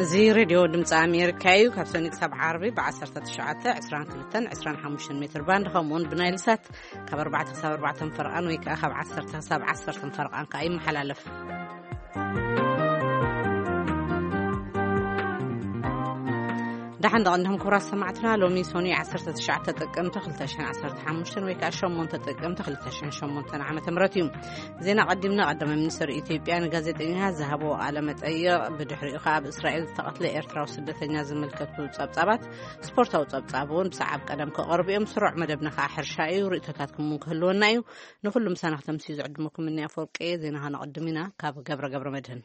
እዚ ሬድዮ ድምፂ ኣሜሪካ እዩ። ካብ ሰኒ ክሳብ ዓርቢ ብ19፣ 22፣ 25 ሜትር ባንድ፣ ከምኡውን ብናይል ሳት ካብ ኣርባዕተ ክሳብ ኣርባዕተ ፈረቓን ወይ ከዓ ካብ ዓሰርተ ክሳብ ዓሰርተ ፈረቓን ከዓ ይመሓላለፍ። ደሓን ደቐንድኹም ክቡራት ሰማዕትና። ሎሚ ሶኒ ዓሰርተ ትሽዓተ ጥቅምቲ ክልተ ሽሕን ዓሰርተ ሓሙሽተን ወይ ከዓ ሸሞንተ ጥቅምቲ ክልተ ሽሕን ሸሞንተን ዓመተ ምህረት እዩ። ዜና ቀዲምና። ቀዳማይ ሚኒስትር ኢትዮጵያ ንጋዜጠኛ ዝሃቦ ቃለ መጠይቕ፣ ብድሕሪኡ ከዓ ኣብ እስራኤል ዝተቐትለ ኤርትራዊ ስደተኛ ዝምልከቱ ጸብጻባት፣ ስፖርታዊ ጸብጻብ እውን ብሰዓብ ቀደም ክቐርቡ እዮም። ስሩዕ መደብና ከዓ ሕርሻ እዩ። ርእይቶታትኩም እውን ክህልወና እዩ። ንኹሉ ምሳና ክተምስዩ ዝዕድመኩም እኒ ኣፈወርቂ። ዜና ከነቐድም ኢና ካብ ገብረ ገብረ መድህን።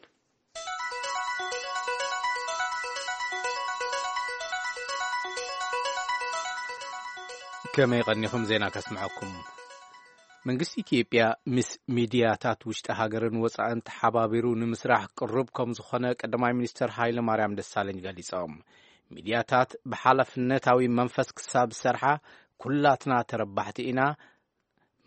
ከመይ ቀኒኹም? ዜና ከስምዐኩም። መንግስቲ ኢትዮጵያ ምስ ሚድያታት ውሽጢ ሃገርን ወፃእን ተሓባቢሩ ንምስራሕ ቅሩብ ከም ዝኾነ ቀዳማይ ሚኒስትር ሃይለ ማርያም ደሳለኝ ገሊጾም። ሚድያታት ብሓላፍነታዊ መንፈስ ክሳብ ዝሰርሓ ኩላትና ተረባሕቲ ኢና።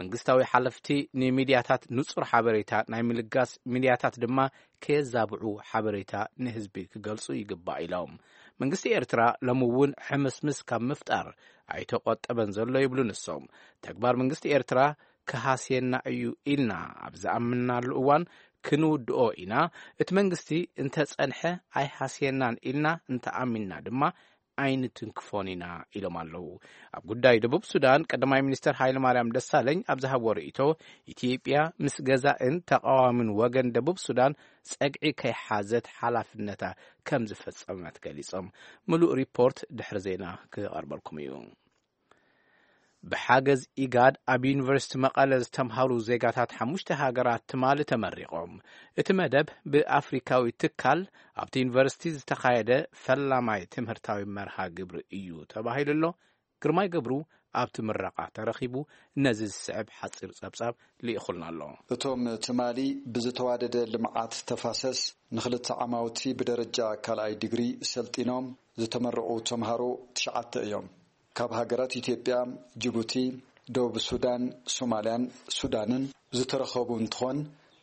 መንግስታዊ ሓለፍቲ ንሚድያታት ንጹር ሓበሬታ ናይ ምልጋስ፣ ሚድያታት ድማ ከየዛብዑ ሓበሬታ ንህዝቢ ክገልጹ ይግባእ ኢሎም። መንግስቲ ኤርትራ ሎሚ እውን ሕምስምስ ካብ ምፍጣር ኣይተቖጠበን ዘሎ ይብሉ ንሶም። ተግባር መንግስቲ ኤርትራ ክሃስየና እዩ ኢልና ኣብ ዝኣምናሉ እዋን ክንውድኦ ኢና። እቲ መንግስቲ እንተጸንሐ ኣይሃስየናን ኢልና እንተኣሚንና ድማ ኣይንትንክፎን ኢና ኢሎም ኣለዉ። ኣብ ጉዳይ ደቡብ ሱዳን ቀዳማይ ሚኒስትር ሃይለ ማርያም ደሳለኝ ኣብ ዝሃብዎ ርእይቶ፣ ኢትዮጵያ ምስ ገዛእን ተቃዋምን ወገን ደቡብ ሱዳን ጸግዒ ከይሓዘት ሓላፍነታ ከም ዝፈጸመት ገሊጾም። ምሉእ ሪፖርት ድሕሪ ዜና ክቐርበልኩም እዩ። ብሓገዝ ኢጋድ ኣብ ዩኒቨርሲቲ መቐለ ዝተምሃሩ ዜጋታት ሓሙሽተ ሃገራት ትማሊ ተመሪቖም። እቲ መደብ ብኣፍሪካዊ ትካል ኣብቲ ዩኒቨርሲቲ ዝተኻየደ ፈላማይ ትምህርታዊ መርሃ ግብሪ እዩ ተባሂሉ ኣሎ። ግርማይ ገብሩ ኣብቲ ምረቓ ተረኺቡ ነዚ ዝስዕብ ሓፂር ጸብጻብ ልኢኹልና ኣሎ። እቶም ትማሊ ብዝተዋደደ ልምዓት ተፋሰስ ንኽልተ ዓማውቲ ብደረጃ ካልኣይ ዲግሪ ሰልጢኖም ዝተመረቑ ተምሃሮ ትሽዓተ እዮም። ካብ ሃገራት ኢትዮጵያ፣ ጅቡቲ፣ ደቡብ ሱዳን፣ ሶማልያን ሱዳንን ዝተረኸቡ እንትኾን፣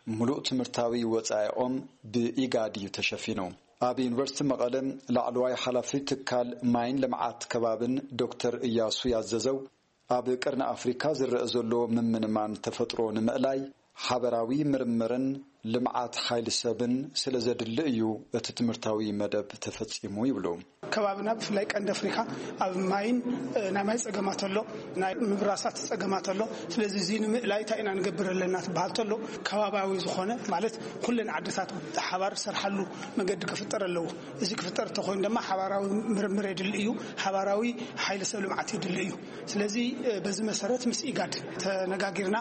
ምሉእ ትምህርታዊ ወጻኢኦም ብኢጋድ እዩ ተሸፊኑ። ኣብ ዩኒቨርሲቲ መቐለ ላዕለዋይ ሓላፊ ትካል ማይን ልምዓት ከባብን ዶክተር እያሱ ያዘዘው፣ ኣብ ቀርኒ ኣፍሪካ ዝረአ ዘሎ ምምንማን ተፈጥሮ ንምእላይ ሓበራዊ ምርምርን ልምዓት ሓይሊ ሰብን ስለ ዘድሊ እዩ እቲ ትምህርታዊ መደብ ተፈጺሙ ይብሉ። ከባብና ብፍላይ ቀንዲ ኣፍሪካ ኣብ ማይን፣ እ፣ ናይ ማይ ጸገማት ኣሎ፣ ናይ ምብራሳት ጸገማት ኣሎ። ስለዚ እዚ ንምእላይ እንታይ ኢና ንገብር ኣለና ትበሃል ተሎ፣ ከባባዊ ዝኾነ ማለት ኩለን ዓድታት ብሓባር ዝሰርሓሉ መገዲ ክፍጠር ኣለዎ። እዚ ክፍጠር እንተኾይኑ ድማ ሓባራዊ ምርምር የድሊ እዩ፣ ሓባራዊ ሓይሊ ሰብ ልምዓት የድሊ እዩ። ስለዚ፣ እ፣ በዚ መሰረት ምስ ኢጋድ ተነጋጊርና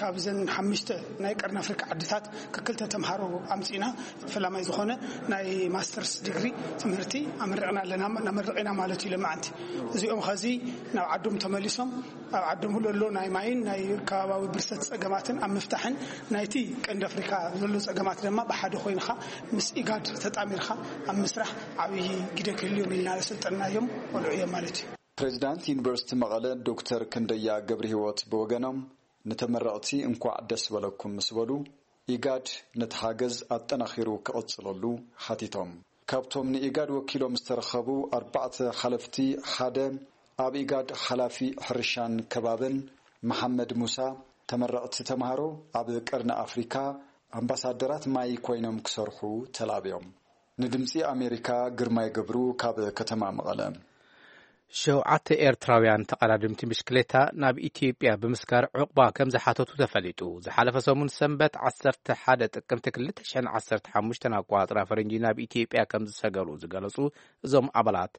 ካብዘን ሓሙሽተ ናይ ቀርኒ ኣፍሪካ ዓድታት ክክልተ ተምሃሮ ኣምፂእና። ፈላማይ ዝኾነ ናይ ማስተርስ ዲግሪ ትምህርቲ ኣመሪቕና ኣለና፣ ነመርቕ ኢና ማለት እዩ ለማዓንቲ። እዚኦም ኸዚ ናብ ዓዶም ተመሊሶም ኣብ ዓዶም ዘሎ ናይ ማይን ናይ ከባባዊ ብርሰት ጸገማትን ኣብ ምፍታሕን ናይቲ ቀንዲ ኣፍሪካ ዘሎ ጸገማት ድማ ብሓደ ኮይንኻ ምስ ኢጋድ ተጣሚርካ ኣብ ምስራሕ ዓብዪ ግደ ክህልዮም ኢልና ዘሰልጠንናዮም ቆልዑ እዮም ማለት እዩ። ፕሬዚዳንት ዩኒቨርሲቲ መቐለ ዶክተር ክንደያ ገብረ ህይወት ብወገኖም፣ ንተመረቕቲ እንኳዕ ደስ በለኩም ምስ በሉ፣ ኢጋድ ነቲ ሓገዝ ኣጠናኺሩ ክቕጽለሉ ሓቲቶም። ካብቶም ንኢጋድ ወኪሎም ዝተረኸቡ ኣርባዕተ ሓለፍቲ ሓደ፣ ኣብ ኢጋድ ሓላፊ ሕርሻን ከባብን መሓመድ ሙሳ፣ ተመረቕቲ ተምሃሮ ኣብ ቀርኒ ኣፍሪካ ኣምባሳደራት ማይ ኮይኖም ክሰርሑ ተላብዮም። ንድምፂ ኣሜሪካ ግርማይ ገብሩ ካብ ከተማ መቐለ። ሸውዓተ ኤርትራውያን ተቐዳድምቲ ብሽክሌታ ናብ ኢትዮጵያ ብምስጋር ዑቕባ ከም ዝሓተቱ ተፈሊጡ። ዝሓለፈ ሰሙን ሰንበት ዓሰርተ ሓደ ጥቅምቲ ክልተ ሽሕን ዓሰርተ ሓሙሽተን ኣቆጻጽራ ፈረንጂ ናብ ኢትዮጵያ ከም ዝሰገሩ ዝገለጹ እዞም ኣባላት፣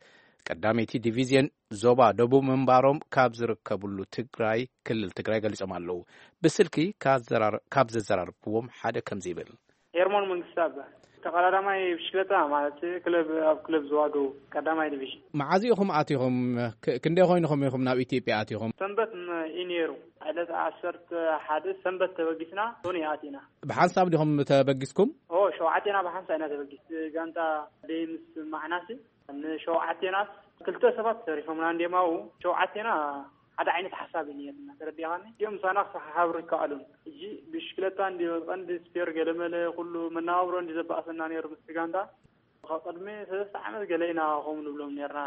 ቀዳመይቲ ዲቪዝዮን ዞባ ደቡብ ምንባሮም ካብ ዝርከብሉ ትግራይ፣ ክልል ትግራይ ገሊጾም ኣለዉ። ብስልኪ ካብ ዘራር-፣ ካብ ዘዘራረብክዎም ሓደ ከምዚ ይብል። ሄርሞን መንግስቱ እባ ተቐዳዳማይ ብሽክለታ ማለት ክለብ፣ ኣብ ክለብ ዝዋገው ቀዳማይ ዲቪዥን። መዓዝ ኢኹም ኣቲኹም? ክ-፣ ክንደይ ኮይንኹም ኢኹም ናብ ኢትዮጵያ ኣቲኹም? ሰንበት ም-፣ እዩ ነይሩ። ዕለት ዓሰርተ ሓደ ሰንበት ተበጊስና ሶኒ ኣቲና። ብሓንሳብ ዲኹም ተበጊስኩም? ኦ፣ ሸውዓቴና ብሓንሳብ ኢና ተበጊስ። ጋንታ ደይ ምስ ማዕናሲ ንሸውዓቴናስ ክልተ ሰባት ተሪፎምና እንዲዮም ኣብኡ። ሸውዓቴና ሓደ ዓይነት ሓሳብ እዩ ነይርና፣ ተረዲእኻኒ? እዚኦም ምሳና ክሰሓሓብሩ ይከኣሉን። ሕጂ ብሽክለታ እንዲ ቀንዲ ስፔር ገለመለ ኩሉ መነባብሮ እንዲ ዘባእሰና ነይሩ ምስቲ ጋንታ። ካብ ቅድሚ ሰለስተ ዓመት ገለ ኢና ከምኡ ንብሎም ነርና።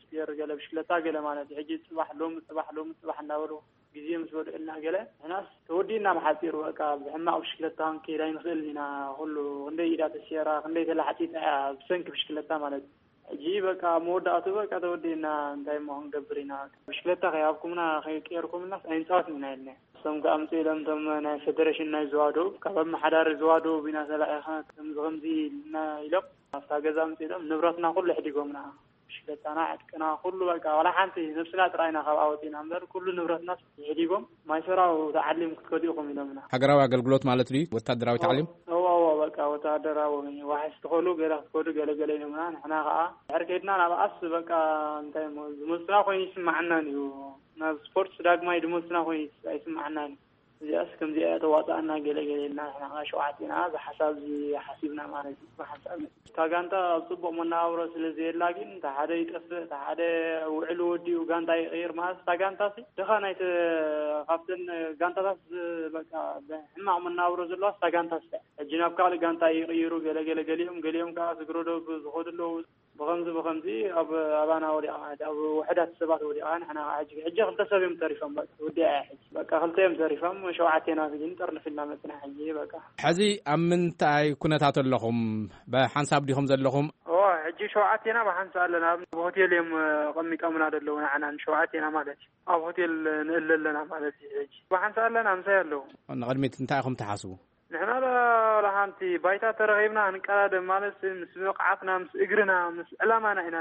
ስፒር ገለ ብሽክለታ ገለ ማለት እዩ። ሕጂ ጽባሕ ሎሚ ጽባሕ ሎሚ ጽባሕ እንዳበሉ ግዜ ምስ በልዑልና ገለ ንሕናስ ተወዲእና ብሓጺሩ በቃ ብሕማቕ ብሽክለታ ክንከይድ ኣይንኽእልን ኢና። ኩሉ ክንደይ ኢዳ ተሰይራ ክንደይ ተላሕጺጻ እያ ብሰንኪ ብሽክለታ ማለት እዩ። ሕጂ በቃ መወዳእቱ በቃ ተወዲእና እንታይ እሞ ክንገብር ኢና። ብሽክለታ ከይሃብኩምና ከይቀየርኩምናስ ኣይንጻወትን ኢና ኢልና። እሶም ከኣ ኣምጽእ ኢሎም እቶም ናይ ፌደሬሽን ናይ ዝዋደው ካብ ኣመሓዳሪ ዝዋደው ኢና ተላኢኻ ከምዚ ከምዚ ኢልና ኢሎም ኣብታ ገዛ ኣምጽእ ኢሎም ንብረትና ኩሉ ሕዲጎምና። ሽገታና ዕጥቅና ኩሉ በቃ ዋላ ሓንቲ ነብስና ጥራይና ካብ ኣወፂና እምበር ኩሉ ንብረትና ይሕዲጎም። ማይሰራው ተዓሊም ክትከዱ ኢኹም ኢሎምና። ሃገራዊ ኣገልግሎት ማለት ድዩ? ወታደራዊ ታዕሊም? እዎ እዎ በቃ ወታደራዊ ዋሕስ ትኸሉ ገለ ክትከዱ ገለገለ ኢሎምና። ንሕና ከዓ ድሕር ከይድና ናብ ኣስ በቃ እንታይ እሞ ዝመልሱና ኮይኑ ይስማዓናን እዩ። ናብ ስፖርት ዳግማይ ዝመልሱና ኮይኑ ኣይስማዓናን እዩ። እዚኣስ ከምዚኣ ተዋፅኣና ገለ ገለ ኢልና ንሕና ከዓ ሸውዓቴና እዚ ሓሳብ እዚ ሓሲብና ማለት እዩ። ብሓንሳብ እታ ጋንታ ኣብ ፅቡቕ መነባብሮ ስለ ዘየላ ግን እታ ሓደ ይጠፍእ እታ ሓደ ውዕሉ ወዲኡ ጋንታ ይቕይር ማለት እታ ጋንታ ሲ ድኻ ናይቲ ካብተን ጋንታታት ዝ- በቃ ብሕማቕ መነባብሮ ዘለዋ እታ ጋንታ ሲ ሕጂ ናብ ካልእ ጋንታ ይቕይሩ ገለ ገለ ገሊኦም ገሊኦም ከዓ ዝግረዶ ዝኸዱ ኣለዉ። ብኸምዚ ብኸምዚ ኣብ ኣባና ወዲኣ ማለት ኣብ ውሕዳት ሰባት ወዲኣ ንሕና ከዓ ሕጂ ሕጂ ክልተ ሰብ እዮም ተሪፎም በቃ ወዲኣ እያ ሕጂ በቃ ክልተ እዮም ተሪፎም ሸውዓቴና ግን ጥርንፍ ኢልና መፅና ሕጂ በቃ። ሕዚ ኣብ ምንታይ ኩነታት ኣለኹም? ብሓንሳብ ዲኹም ዘለኹም? ኦ ሕጂ ሸውዓቴና ብሓንሳ ኣለና ኣብ ሆቴል እዮም ቀሚጦምና ዘለዉ ንዓና ንሸውዓቴና ማለት እዩ ኣብ ሆቴል ንእለ ኣለና ማለት እዩ ሕጂ ብሓንሳ ኣለና ምሳይ ኣለዉ። ንቕድሚት እንታይ ኢኹም ትሓስቡ? ንሕና ዶ ዋላ ሓንቲ ባይታ ተረኺብና ክንቀዳደም ማለት ምስ ብቕዓትና ምስ እግርና ምስ ዕላማና ኢና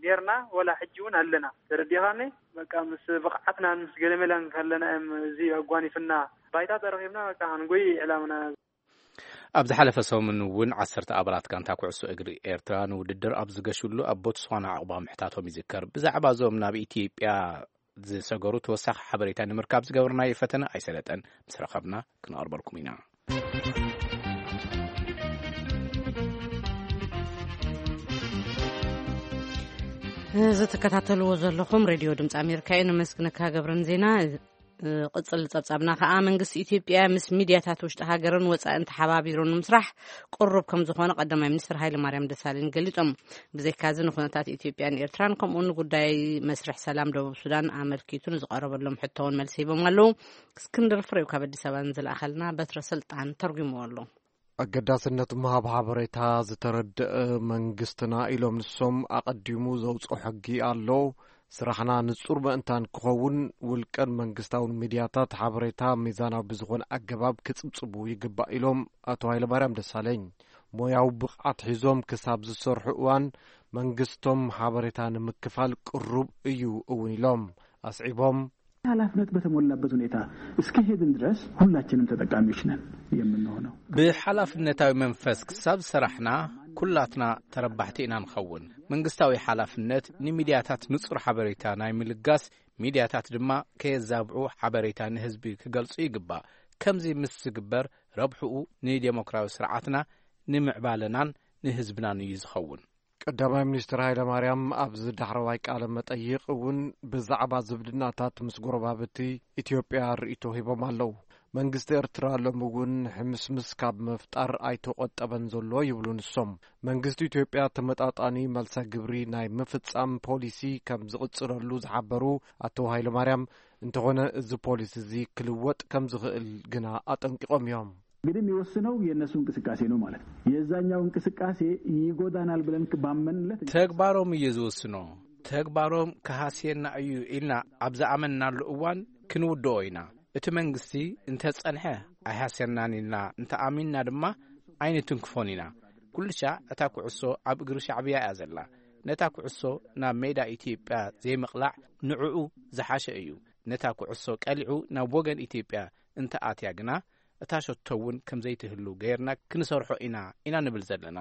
ኔርና ወላ ሕጂ እውን ኣለና ተረዲኻኒ። በቃ ምስ ብቕዓትናን ምስ ገለመላን ከለና እዮም እዚ ኣጓኒፍና ባይታ ተረኺብና በቃ ክንጎይ ዕላምና። ኣብ ዝሓለፈ ሰሙን እውን ዓሰርተ ኣባላት ጋንታ ኩዕሶ እግሪ ኤርትራ ንውድድር ኣብ ዝገሽሉ ኣብ ቦትስዋና ዕቑባ ምሕታቶም ይዝከር። ብዛዕባ እዞም ናብ ኢትዮጵያ ዝሰገሩ ተወሳኺ ሓበሬታ ንምርካብ ዝገበርናዮ ፈተነ ኣይሰለጠን። ምስ ረኸብና ክነቕርበልኩም ኢና። እዚ ትከታተልዎ ዘለኹም ሬድዮ ድምፂ ኣሜሪካ እዩ። ነመስግነካ ገብረን ዜና። ቅጽል ጸብጻብና ከኣ መንግስቲ ኢትዮጵያ ምስ ሚድያታት ውሽጢ ሃገርን ወጻእን ተሓባቢሩ ንምስራሕ ቅሩብ ከም ዝኾነ ቀዳማይ ሚኒስትር ሃይለማርያም ደሳለኝ ገሊጾም። ብዘይካዚ ንኩነታት ኢትዮጵያን ኤርትራን ከምኡውን ንጉዳይ መስርሕ ሰላም ደቡብ ሱዳን ኣመልኪቱ ንዝቐረበሎም ሕቶውን መልሲ ሂቦም ኣለዉ። እስክንድር ፍሬው ካብ ኣዲስ ኣበባ ንዝለኣኸልና በትረ ስልጣን ተርጉምዎ ኣሎ። ኣገዳስነት ምሃብ ሓበሬታ ዝተረድአ መንግስትና ኢሎም ንሶም ኣቐዲሙ ዘውፅኦ ሕጊ ኣሎ። ስራሕና ንፁር ምእንታን ክኸውን ውልቀን መንግስታውን ሚድያታት ሓበሬታ ሚዛናዊ ብዝኾነ ኣገባብ ክፅብፅቡ ይግባእ ኢሎም ኣቶ ሃይለማርያም ደሳለኝ። ሞያዊ ብቕዓት ሒዞም ክሳብ ዝሰርሑ እዋን መንግስቶም ሓበሬታ ንምክፋል ቅሩብ እዩ እውን ኢሎም ኣስዒቦም። ኃላፊነት በተሞላበት ሁኔታ እስከ ሄድን ድረስ ሁላችንም ተጠቃሚዎች ነን የምንሆነው። ብሓላፍነታዊ መንፈስ ክሳብ ዝሰራሕና ኩላትና ተረባሕቲ ኢና ንኸውን። መንግስታዊ ሓላፍነት ንሚድያታት ንጹር ሓበሬታ ናይ ምልጋስ፣ ሚድያታት ድማ ከየዛብዑ ሓበሬታ ንህዝቢ ክገልጹ ይግባእ። ከምዚ ምስ ዝግበር ረብሕኡ ንዴሞክራዊ ስርዓትና ንምዕባለናን ንህዝብናን እዩ ዝኸውን። ቀዳማይ ሚኒስትር ሃይለማርያም ኣብዚ ዳሕረዋይ ቃለ መጠይቕ እውን ብዛዕባ ዝምድናታት ምስ ጎረባብቲ ኢትዮጵያ ርእይቶ ሂቦም ኣለዉ። መንግስቲ ኤርትራ ሎሚ እውን ሕምስምስ ካብ ምፍጣር ኣይተቖጠበን ዘሎ ይብሉ ንሶም። መንግስቲ ኢትዮጵያ ተመጣጣኒ መልሰ ግብሪ ናይ ምፍጻም ፖሊሲ ከም ዝቕጽለሉ ዝሓበሩ ኣቶ ሃይለማርያም፣ እንተኾነ እዚ ፖሊሲ እዚ ክልወጥ ከም ዝኽእል ግና ኣጠንቂቖም እዮም። እንግዲህ የሚወስነው የእነሱ እንቅስቃሴ ነው ማለት ነው። የዛኛው እንቅስቃሴ ይጎዳናል ብለን ባመንለት ተግባሮም እዩ ዝወስኖ። ተግባሮም ክሃስየና እዩ ኢልና ኣብ ዝኣመንናሉ እዋን ክንውድኦ ኢና። እቲ መንግስቲ እንተጸንሐ ኣይሃስየናን ኢልና እንተኣሚንና ድማ ኣይንትንክፎን ኢና። ኩልሻዕ እታ ኩዕሶ ኣብ እግሪ ሻዕብያ እያ ዘላ። ነታ ኩዕሶ ናብ ሜዳ ኢትዮጵያ ዘይምቕላዕ ንዕኡ ዝሓሸ እዩ። ነታ ኩዕሶ ቀሊዑ ናብ ወገን ኢትዮጵያ እንተኣትያ ግና እታ ሸቶ እውን ከም ዘይትህሉ ገይርና ክንሰርሖ ኢና ኢና ንብል ዘለና።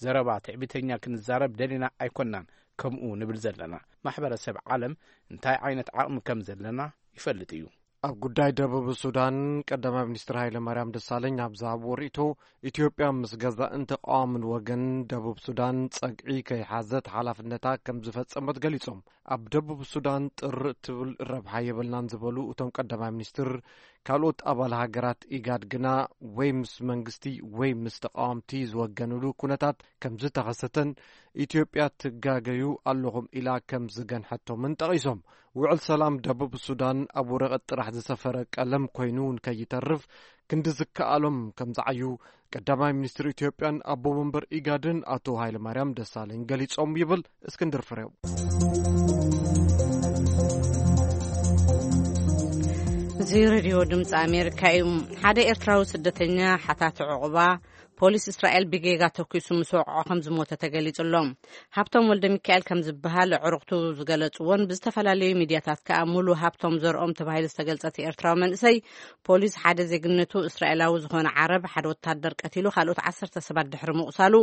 ዘረባ ትዕቢተኛ ክንዛረብ ደሊና ኣይኮናን ከምኡ ንብል ዘለና። ማሕበረሰብ ዓለም እንታይ ዓይነት ዓቕሚ ከም ዘለና ይፈልጥ እዩ። ኣብ ጉዳይ ደቡብ ሱዳን ቀዳማይ ሚኒስትር ሃይለማርያም ደሳለኝ ኣብ ዝሃብዎ ርእይቶ፣ ኢትዮጵያ ምስ ገዛእን ተቃዋምን ወገን ደቡብ ሱዳን ጸግዒ ከይሓዘት ሓላፍነታ ከም ዝፈጸመት ገሊጾም። ኣብ ደቡብ ሱዳን ጥር እትብል ረብሓ የብልናን ዝበሉ እቶም ቀዳማይ ሚኒስትር፣ ካልኦት ኣባል ሃገራት ኢጋድ ግና ወይ ምስ መንግስቲ ወይ ምስ ተቃወምቲ ዝወገንሉ ኩነታት ከም ዝተኸሰተን ኢትዮጵያ ትጋገዩ ኣለኹም ኢላ ከም ዝገንሐቶምን ጠቒሶም። ውዕል ሰላም ደቡብ ሱዳን ኣብ ወረቐት ጥራሕ ዝሰፈረ ቀለም ኮይኑ እውን ከይተርፍ ክንዲ ዝከኣሎም ከም ዝዓዩ ቀዳማይ ሚኒስትር ኢትዮጵያን ኣቦ መንበር ኢጋድን ኣቶ ሃይለማርያም ደሳለኝ ገሊጾም ይብል እስክንድር ፍሬው። እዚ ሬድዮ ድምፂ ኣሜሪካ እዩ። ሓደ ኤርትራዊ ስደተኛ ሓታቲ ዕቑባ ፖሊስ እስራኤል ብጌጋ ተኲሱ ምስ ወቕዖ ከም ዝሞተ ተገሊጹ ኣሎ። ሃብቶም ወልደ ሚካኤል ከም ዝበሃል ኣዕሩኽቱ ዝገለጽዎን ብዝተፈላለዩ ሚድያታት ከኣ ሙሉ ሃብቶም ዘርኦም ተባሂሉ ዝተገልጸት ኤርትራዊ መንእሰይ ፖሊስ ሓደ ዜግነቱ እስራኤላዊ ዝኾነ ዓረብ ሓደ ወታደር ቀቲሉ ካልኦት ዓሰርተ ሰባት ድሕሪ ምቑሳሉ